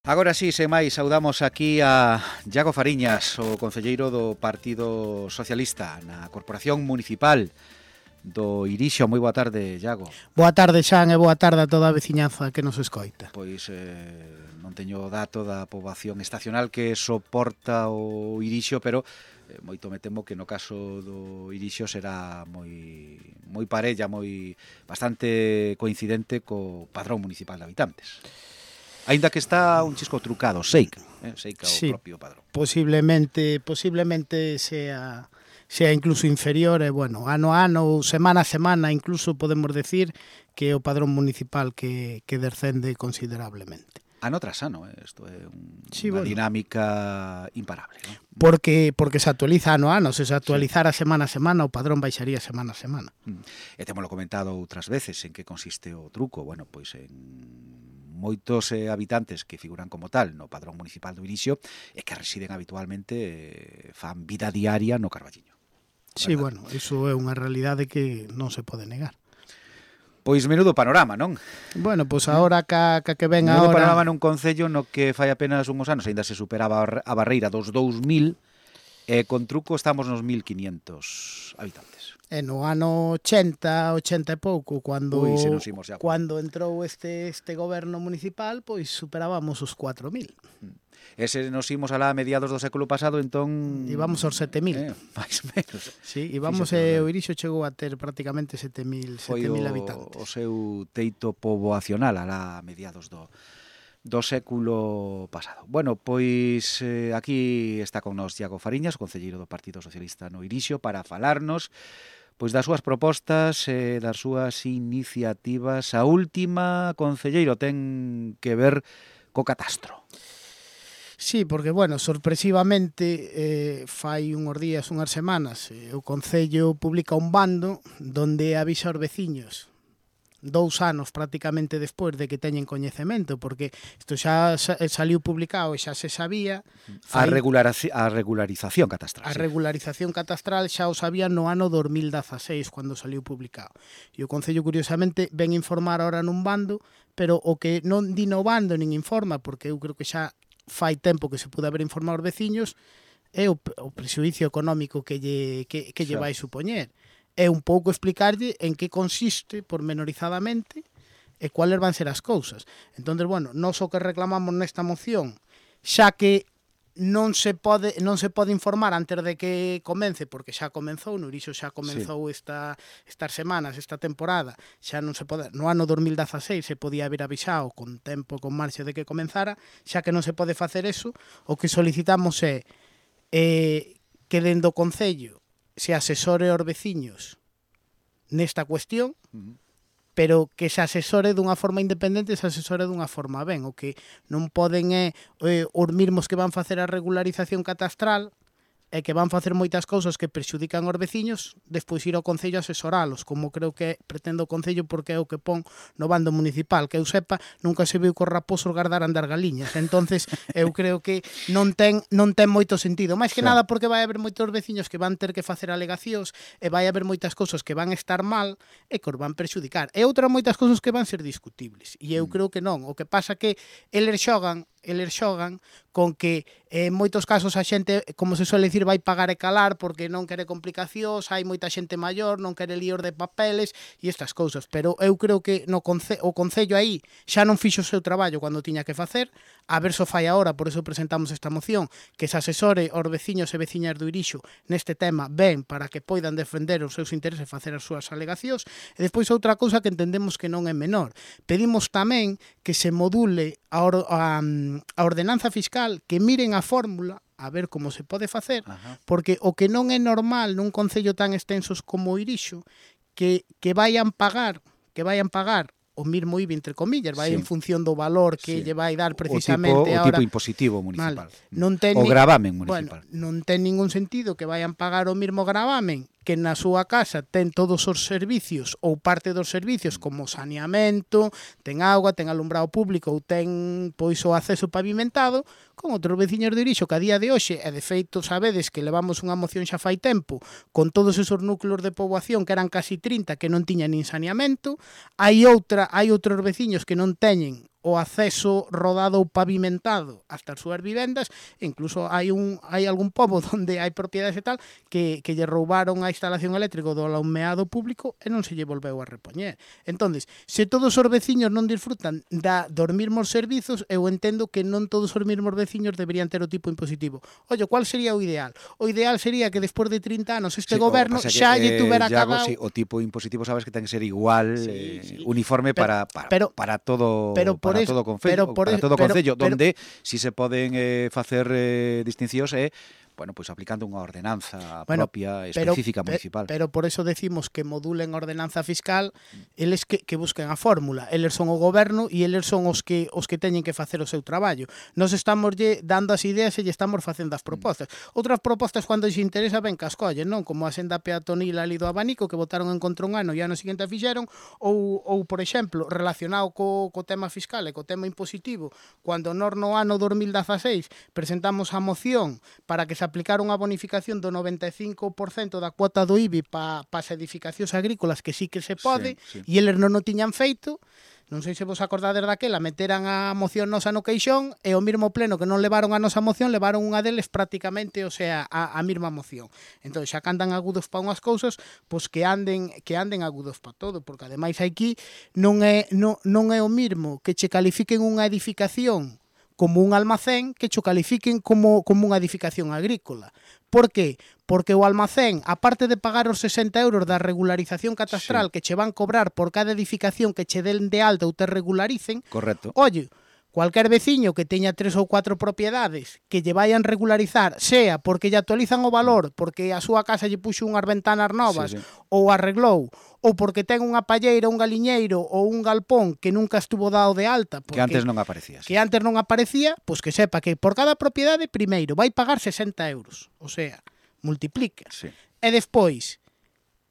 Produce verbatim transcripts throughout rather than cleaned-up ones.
Agora sí, sen máis, saudamos aquí a Iago Fariñas, o concelleiro do Partido Socialista na Corporación Municipal do Irixo. Moi boa tarde, Iago. Boa tarde, Xan, e boa tarde a toda a veciñanza que nos escoita. Pois eh, non teño o dato da poboación estacional que soporta o Irixo, pero eh, moito me temo que no caso do Irixo será moi moi parella, moi bastante coincidente co padrón municipal de habitantes. Aínda que está un chisco trucado, Seica, eh? Seica sí, o propio padrón. Posiblemente, posiblemente sea, sea incluso inferior, e bueno, ano a ano, semana a semana, incluso podemos decir que o padrón municipal que, que descende considerablemente. Ano tras ano, eh? Isto é un, sí, unha bueno. dinámica imparable, ¿no? Porque, porque se actualiza ano a ano, se se actualizara sí. semana a semana, o padrón baixaría semana a semana. Mm. E temoslo comentado outras veces en que consiste o truco, bueno, pois en moitos eh, habitantes que figuran como tal no padrón municipal do Irixo e que residen habitualmente eh, fan vida diaria no Carballiño. Sí, bueno, iso é unha realidade que non se pode negar. Pois menudo panorama, non? Bueno, pois agora ca, ca que ven menudo agora... panorama nun concello no que fai apenas uns anos aínda se superaba a barreira dos dous mil e con truco estamos nos mil quinientos habitantes. E no ano ochenta, ochenta e pouco, cando Ui, se nos imos xa. Cando entrou este este goberno municipal, pois superábamos os cuatro mil. E se nos imos alá a mediados do século pasado, entón... Íbamos aos sete mil. Eh, máis ou menos. Sí, íbamos e o Irixo chegou a ter prácticamente sete mil habitantes. Foi o seu teito poboacional alá a mediados do... do século pasado. Bueno, pois eh, aquí está con nós Iago Fariñas, o concelleiro do Partido Socialista no Irixo, para falarnos pois das súas propostas e eh, das súas iniciativas. A última, concelleiro, ten que ver co catastro. Sí, porque, bueno, sorpresivamente, eh, fai unhos días, unhas semanas, eh, o Concello publica un bando donde avisa aos veciños dous anos prácticamente despois de que teñen coñecemento, porque isto xa saliu publicado e xa se sabía. Fai... A, regularización, a regularización catastral. A sí. regularización catastral xa o sabía no ano dos mil dezaseis, cando saliu publicado. E o Concello, curiosamente, ven informar ahora nun bando, pero o que non di no bando nin informa, porque eu creo que xa fai tempo que se pude haber informado aos veciños, é o, o prexuicio económico que lle, que, que lle vai supoñer. É un pouco explicarlle en que consiste pormenorizadamente e cuáles van ser as cousas. Entón, bueno, nós o que reclamamos nesta moción, xa que non se pode non se pode informar antes de que comence, porque xa comenzou, no Irixo xa comenzou sí. esta, estas semanas, esta temporada, xa non se pode, no ano dos mil dezaseis se podía haber avisado con tempo, con marxe de que comenzara, xa que non se pode facer eso, o que solicitamos é eh, que dende o Concello se asesore aos veciños nesta cuestión, uh-huh. pero que se asesore dunha forma independente, se asesore dunha forma ben. O que non poden é eh, os mesmos que van facer a regularización catastral e que van facer moitas cousas que prexudican aos veciños, despois ir ao Concello a asesoralos, como creo que pretende o Concello, porque é o que pon no bando municipal, que eu sepa, nunca se viu que os raposos gardaran das galiñas. Entonces, eu creo que non ten non ten moito sentido, máis que sí. nada porque vai haber moitos veciños que van ter que facer alegacións e vai haber moitas cousas que van estar mal e que os van prexudicar. E outras moitas cousas que van ser discutibles. E eu mm. creo que non. O que pasa que eles xogan eles xogan con que en moitos casos a xente, como se suele dicir, vai pagar e calar porque non quere complicacións, hai moita xente maior, non quere líos de papeles e estas cousas, pero eu creo que no conce o Concello aí xa non fixo o seu traballo cando tiña que facer, a ver se fai agora, por eso presentamos esta moción, que se asesore aos veciños e veciñas do Irixo neste tema ben para que poidan defender os seus intereses e facer as súas alegacións. E despois outra cousa que entendemos que non é menor, pedimos tamén que se module a, a, a ordenanza fiscal, que miren a fórmula a ver como se pode facer, Ajá. porque o que non é normal nun concello tan extensos como o Irixo, que, que vayan pagar, que vayan pagar o mismo I V A, entre comillas, vai sí. en función do valor que sí. lle vai dar precisamente o tipo, ahora. O tipo impositivo municipal. Vale. Non ten o gravamen municipal. Bueno, non ten ningún sentido que vayan pagar o mismo gravamen que na súa casa ten todos os servicios ou parte dos servicios como saneamento, ten auga, ten alumbrado público ou ten pois o acceso pavimentado, con outros veciños de Irixo que a día de hoxe, e de feito sabedes que levamos unha moción xa fai tempo, con todos esos núcleos de poboación que eran casi trinta que non tiñan nin saneamento, hai outra, hai outros veciños que non teñen o acceso rodado ou pavimentado hasta as súas vivendas, incluso hai un hai algún pobo onde hai propiedades e tal que, que lle roubaron a instalación eléctrica do alumeado público e non se lle volveu a repoñer. Entonces, se todos os veciños non disfrutan da dos mesmos servizos, eu entendo que non todos os mesmos veciños deberían ter o tipo impositivo. Ollo, cual sería o ideal? O ideal sería que despois de trinta anos este sí, goberno xa lle tuvera eh, cada... Sí, o tipo impositivo sabes que ten que ser igual, sí, eh, sí. uniforme pero, para, para, pero, para todo pero para es, todo concello, para todo concello, pero, donde si se poden eh, facer eh, distincións e eh, bueno, pois pues aplicando unha ordenanza bueno, propia, específica, pero, municipal. Pero por eso decimos que modulen a ordenanza fiscal, eles que, que busquen a fórmula. Eles son o goberno e eles son os que os que teñen que facer o seu traballo. Nos estamos lle dando as ideas e lle estamos facendo as propostas. Mm. Outras propostas, cando se interesa, ben que as collen, non? Como a senda peatonil ali do abanico, que votaron en contra un ano e ano seguinte a fixeron, ou, ou por exemplo, relacionado co, co tema fiscal e co tema impositivo, cando nós no ano dos mil dezaseis presentamos a moción para que se aplicar unha bonificación do noventa e cinco por cento da cuota do I B I para pa as edificacións agrícolas, que sí que se pode, sí, sí. E eles non o tiñan feito. Non sei se vos acordades daquela, meteran a moción nosa no queixón e o mesmo pleno que non levaron a nosa moción, levaron unha deles prácticamente, o sea, a, a mesma moción. Entón, xa que andan agudos para unhas cousas, pois que anden que anden agudos para todo, porque ademais aquí non é non, non é o mesmo que che califiquen unha edificación como un almacén que cho califiquen como, como unha edificación agrícola. Por que? Porque o almacén, aparte de pagar os sesenta euros da regularización catastral, sí, que che van cobrar por cada edificación que che den de alta ou te regularicen, correcto. Oye, cualquier veciño que teña tres ou cuatro propiedades que lle vayan regularizar, sea porque lle actualizan o valor, porque a súa casa lle puxo unhas ventanas novas, sí, sí, ou arreglou, ou porque ten unha palleira, un galiñeiro ou un galpón que nunca estuvo dado de alta, porque, que antes non aparecía. Que antes non aparecía, pois que sepa que por cada propiedade, primeiro, vai pagar sesenta euros. O sea, multiplica. Sí. E despois...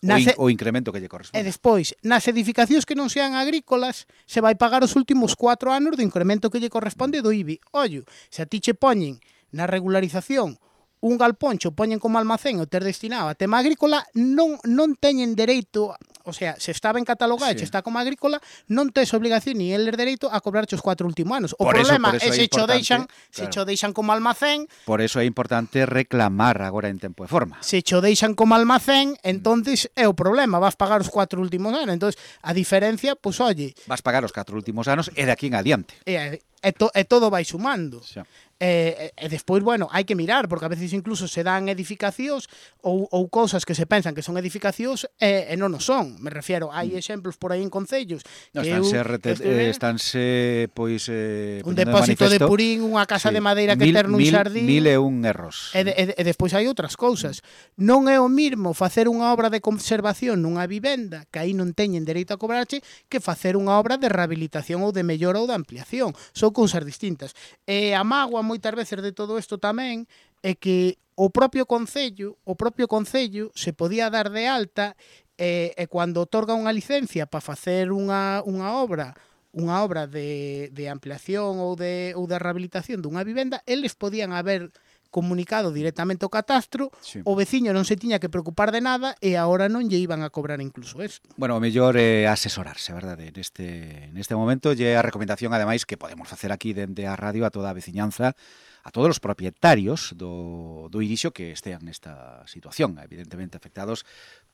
Nas, o, in, o incremento que lle corresponde. E despois, nas edificacións que non sean agrícolas, se vai pagar os últimos cuatro anos do incremento que lle corresponde do I B I. Ollo, se a ti che poñen na regularización un galpón, cho poñen como almacén o ter destinado a tema agrícola, non non teñen dereito, o sea, se está ben catalogado, sí, se está como agrícola, non tes obligación ni eles dereito a cobrarche os cuatro últimos anos. O por problema eso, eso é se cho deixan, claro, se cho deixan como almacén. Por eso é importante reclamar agora en tempo e forma. Se cho deixan como almacén, entonces é o problema, vas pagar os cuatro últimos anos. Entonces, a diferencia, pois, pues, oye, vas pagar os catro últimos anos e de aquí en adiante. E, e, to, e todo vai sumando. Xa. E, e despois, bueno, hai que mirar, porque a veces incluso se dan edificacións ou, ou cousas que se pensan que son edificacións e, e non o son. Me refiero, hai exemplos por aí en concellos no, que estánse, eu, rete, eh, estánse pois eh, un depósito de, de purín, unha casa, sí, de madeira que mil, ter nun mil, xardín. Mil e un erros. E, de, e, e despois hai outras cousas. Mm. Non é o mismo facer unha obra de conservación nunha vivenda que aí non teñen dereito a cobrarche que facer unha obra de rehabilitación ou de mellora ou de ampliación. Son cousas distintas. E a mágoa moitas veces de todo isto tamén é que o propio concello, o propio concello se podía dar de alta e, e cando otorga unha licencia para facer unha, unha obra unha obra de, de ampliación ou de, ou de rehabilitación dunha vivenda, eles podían haber comunicado directamente ao catastro, sí, o veciño non se tiña que preocupar de nada e agora non lle iban a cobrar incluso isto. Bueno, o mellor é eh, asesorarse, verdade? Neste, neste momento lle a recomendación, ademais, que podemos facer aquí dende a radio a toda a veciñanza, a todos os propietarios do, do Irixo que estean nesta situación, evidentemente afectados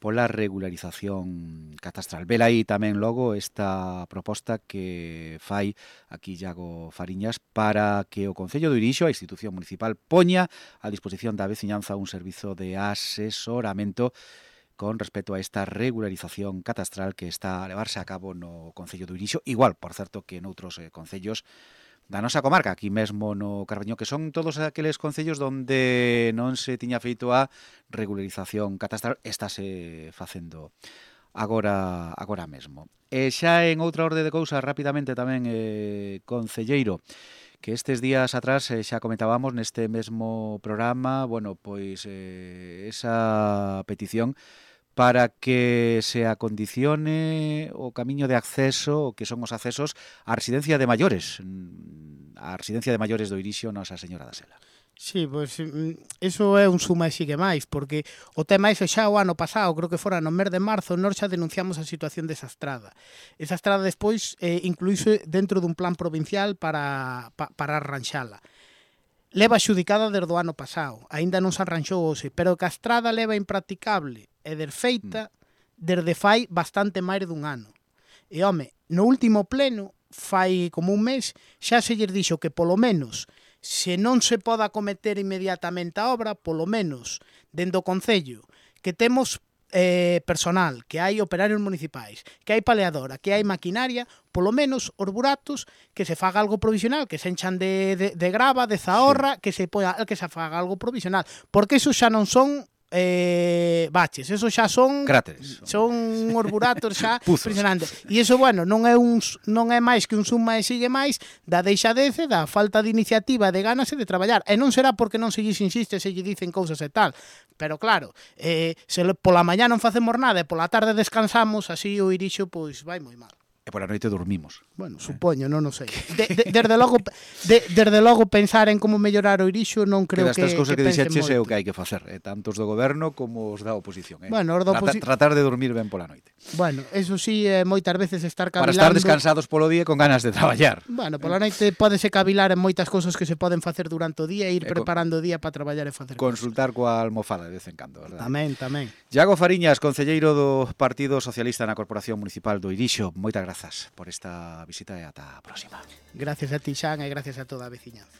pola regularización catastral. Vela aí tamén logo esta proposta que fai aquí Iago Fariñas para que o Concello do Irixo, a institución municipal, poña a disposición da veciñanza un servizo de asesoramento con respecto a esta regularización catastral que está a levarse a cabo no Concello do Irixo, igual, por certo, que noutros eh, concellos da nosa comarca, aquí mesmo no Carballiño, que son todos aqueles concellos onde non se tiña feito a regularización catastral, estáse facendo agora agora mesmo. E xa en outra orde de cousas, rapidamente tamén, eh, concelleiro, que estes días atrás eh, xa comentábamos neste mesmo programa, bueno, pois eh, esa petición para que se acondicione o camiño de acceso, o que son os accesos á residencia de maiores, a residencia de maiores do Irixo Nosa Señora da Sela. Sí, pois iso é un suma e sigue máis, porque o tema ese xa o ano pasado, creo que fora no mes de marzo, nós xa denunciamos a situación desa estrada. Esa estrada despois eh, incluíse dentro dun plan provincial para, pa, para arranxala. Leva xudicada desde o ano pasado, aínda non se arranxou hoxe, pero que a estrada leva impracticable e desfeita desde fai bastante máis dun ano. E, home, no último pleno, fai como un mes, xa se lles dixo que polo menos se non se poda acometer inmediatamente a obra, polo menos, dentro do Concello, que temos eh, personal, que hai operarios municipais, que hai paleadora, que hai maquinaria, polo menos os buratos, que se faga algo provisional, que se enchan de, de, de grava, de zahorra, sí. que se poa, que se faga algo provisional, porque eso xa non son eh, baches, eso xa son cráteres, son os buratos xa impresionantes. E iso, bueno, non é un non é máis que un suma e sigue máis da deixadece, da falta de iniciativa, de ganas e de traballar. E non será porque non se lles insiste, se lle dicen cousas e tal. Pero claro, eh, se pola mañá non facemos nada e pola tarde descansamos, así o Irixo pois vai moi mal. E pola noite dormimos. Bueno, supoño, non o sei. De, de, desde logo de, desde logo pensar en como mellorar o Irixo non creo que, que, cousas que, que dixeches é o que hai que facer, eh, tanto os do goberno como os da oposición. Eh. Bueno, os da oposi... tratar, tratar de dormir ben pola noite. Bueno, eso sí, eh, moitas veces estar cavilando... Para estar descansados polo día con ganas de traballar. Bueno, pola noite pódese cavilar en moitas cousas que se poden facer durante o día e ir eh, preparando o día para traballar e facer consultar cosas. Coa almofada de vez en cando, verdad? Tamén, tamén. Iago Fariñas, concelleiro do Partido Socialista na Corporación Municipal do Irixo, moitas grazas por esta visita e ata a próxima. Gracias a ti, Xan, e gracias a toda a veciñanza.